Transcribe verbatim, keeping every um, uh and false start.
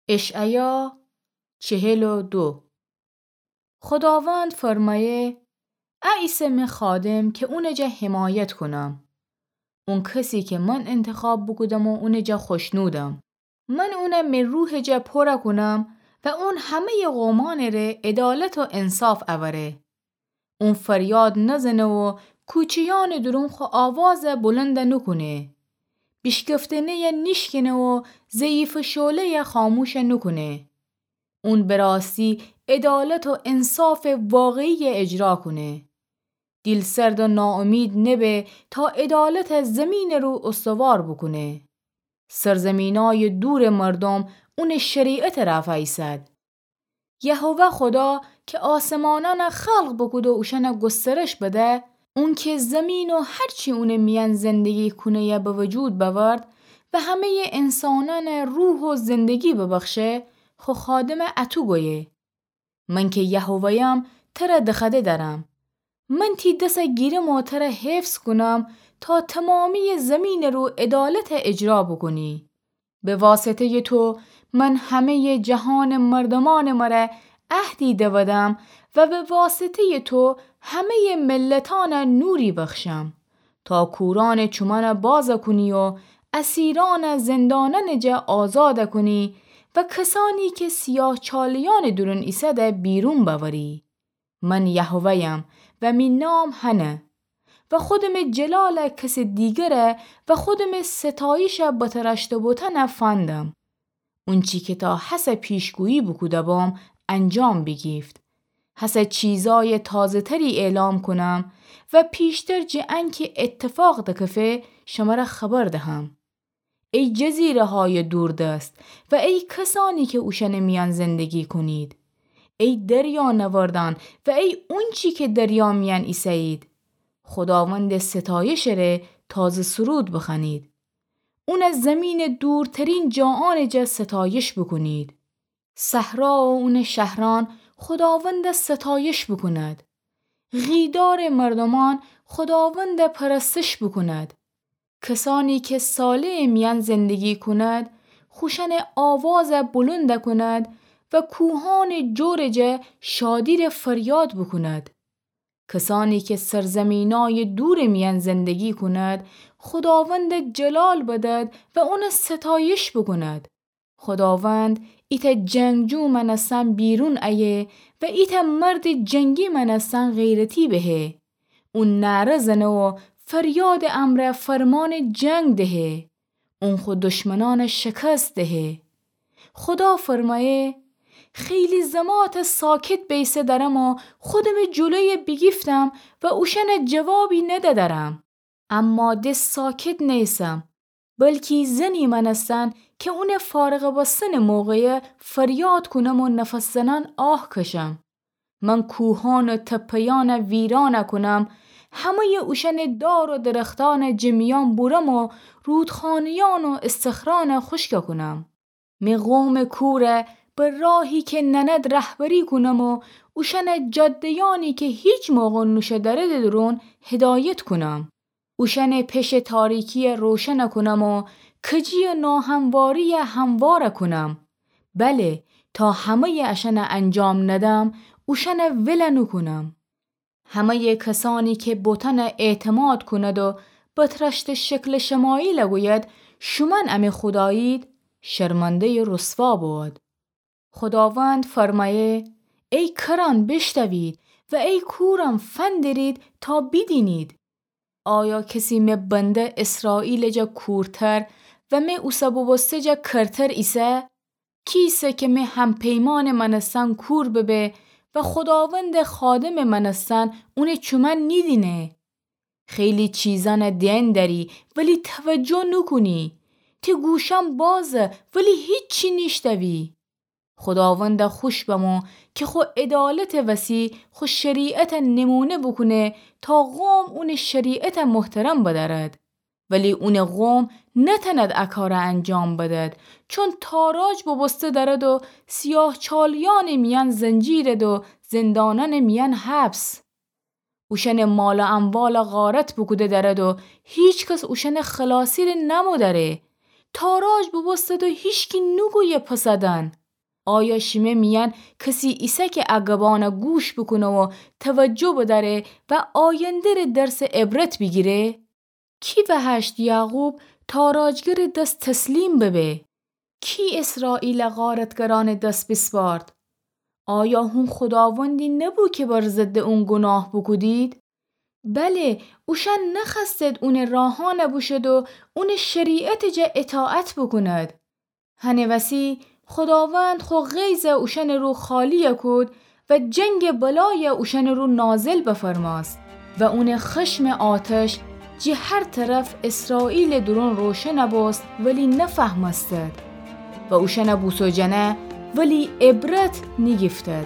اشعیا چهل و دو. خداوند فرمأیه: ا ایسه مه خادم که اونٚ جا حمایت کونم. اون کسی که من انتخاب بوکودم و اونٚ جا خوشنودم. من اونه مه روحٚ جا پورَ کونم و اون همه‌یٚ قومأنٚ ره عدالت و انصاف اوره. اون فریاد نزنه و کوچه‌یأنٚ دورون خو آوازَ بلندَ نوکونه. بیشکفتنه‌یَ نیشکنه و ضعیفٚ شعله‌یَ خاموشَ نوکونه. اون به راستی عدالت و انصافٚ واقعیَ اجرا کونه. دیل‌سرد و ناامید نبه تا عدالتَ زیمینٚ رو استوار بوکونه. سرزیمینأیٚ دورٚ مردوم اونٚ شریعتٚ رأفا ایسد. یهوه خدا که آسمانأنَ خلق بوکود و اوشأنَ گسترش بده، اون که زیمین و هر چی اونٚ میأن زندگی کونه‌یَ به وجود بأورد و همه‌یٚ انسانأنَ روح و زندگی ببخشه، خو خادمَ اَتو گویه: من که یهوه‌یم، ترَ دخوأده دأرم. من تی دسَ گیرم و ترَ حفظ کونم تا تومامییٚ زیمینٚ رو عدالتَ اجرا بوکونی. به واسطه‌یٚ تو من همه‌یٚ جهانٚ مردومأنٚ مره عهدی دودم و به واسطه‌یٚ تو همه‌یٚ ملتأنَ نوری بخشم، تا کورأنٚ چومأنَ بازَ کونی و اسیرأنَ زندانأنٚ جا آزادَ کونی و کسأنی که سیاه‌چالیأنٚ دورون ایسده بیرون بأوری. من یهوه‌یم و می نام هنه و خودمٚ جلالَ کسٚ دیگره و خودمٚ ستایشَ بترأشته بوتنَ فندم. اونچی که تا هسه پیشگویی بوکوده بوم، انجام بیگیفت. هسه چیزأیٚ تازه‌تری اعلام کونم و پیشتر جٚه انکه اتفاق دکفه، شمره خبر دهم. ای جزیره‌هایٚ دوردست و ای کسأنی که اوشأنٚ میأن زندگی کونید، ای دریانوردأن و ای اونچی که دریا میأن ایسه‌یید، خوداوندٚ ستایشٚ ره تازه سرود بخوأنید. اونَ زیمینٚ دورترین جاهانٚ جا ستایش بوکونید. صحرا و اونٚ شهرأن خوداوندَ ستایش بوکوند. غیدارٚ مردومأن خوداوندَ پرستش بوکوند. کسأنی که صالحٚ میأن زندگی کوند، خوشأنٚ آوازَ بلندَ کوند و کوهأنٚ جورٚ جا شادی ره فریاد بوکوند. کسأنی که سرزیمینأیٚ دورٚ میأن زندگی کوند، خوداوندَ جلال بدد و اونَ ستایش بوکوند. خوداوند ایتأ جنگجو مأنستن بیرون ایه و ایتأ مردٚ جنگی مأنستن غیرتی بهه. اون نعره زنه و فریادٚ امرأ فرمانٚ جنگ دهه. اون خو دشمنأنَ شکست دهه. خودا فرمأیه: خیلی زماتَ ساکت بیسه دأرم و خودمٚ جلویَ بیگیفتم و اوشأنَ جوابی نده دأرم. اما د ساکت نیسم، بلکی زنی مأنستن که اونٚ فارغ بستنٚ موقعَ فریاد کونم و نفس زنأن آه کشم. من کوهأن و تپه‌یأنَ ویرانَ کونم، همه‌یٚ اوشأنٚ دار و درختأنَ جٚه میأن بورم و رودخانه‌یأن و استخرأنَ خوشکَ کونم. می قومٚ کورَ به راهی که نأند رهبری کونم و اوشأنَ جاده‌یأنی که هیچ موقع نوشدرده دورون هدایت کونم. اوشأنَ پشٚ تاریکیَ روشنَ کونم و کجی و ناهمواریَ هموارَ کونم. بله، تا همه‌یٚ اشأنَ انجام ندم، اوشأنَ ولَ نوکونم. همه‌یٚ کسأنی که بتأنَ اعتماد کوند و بترأشته شکلٚ شمایلَ گوید: شومأن امی خودایید، شرمنده‌یٚ رسوا بود. خوداوند فرمأیه: ای کرأن، بیشتوید و ای کورأن، فندرید تا بیدینید. آیا کسی می بنده اسرائیلٚ جا کورتر و می اوسه بوبوسته جا کرتر ایسه؟ کیسه که می هم‌پیمانٚ مأنستن کور ببه و خوداوندٚ خادمٚ مأنستن اونٚ چومأن نیدینه؟ خیلی چیزأنَ دئن دأری، ولی توجه نوکونی. تی گوشأن بازه، ولی هیچی نیشتوی. خوداوندَ خوش بمو که خو عدالتٚ وسی خو شریعتَ نمونه بوکونه تا قوم اونٚ شریعتَ محترم بدأرد. ولی اونٚ قوم نتأند ا کارَ انجام بدد، چون تاراج بوبوسته دأرد و سیاه‌چالیأنٚ میأن زنجیرد و زندانأنٚ میأن حبس. اوشأنٚ مال و اموالَ غارت بوکوده دأرد و هیچ کس اوشأنٚ خلاصی ره نمو دأره، تاراج بوبوستد و هیچکی نوگویه پسدن. آیا شیمه میأن کسی ایسه که ا گبأنَ گوش بوکونه و توجه بدأره و آینده‌ره درسٚ عبرت بیگیره؟ کی وهشت یعقوب تاراجگرٚ دس تسلیم ببه؟ کی اسرائیلَ غارتگرأنٚ دس بیسپارد؟ آیا هون خوداوندی نبو که بر ضدٚ اون گوناه بوکودید؟ بله، اوشأن نخوأستد اونٚ راهأنَ بوشد و اونٚ شریعتٚ جا اطاعت بوکوند. هنٚ وسی خوداوند خو غیظَ اوشأنٚ رو خالی‌یَ کود و جنگٚ بلایَ اوشأنٚ رو نازل بفرمأست و اونٚ خشمٚ آتش جٚه هر طرف اسرائیلٚ دورون روشنَ بوست، ولی نفهمستد و اوشأنَ بوسوجأنه، ولی عبرت نیگیفتد.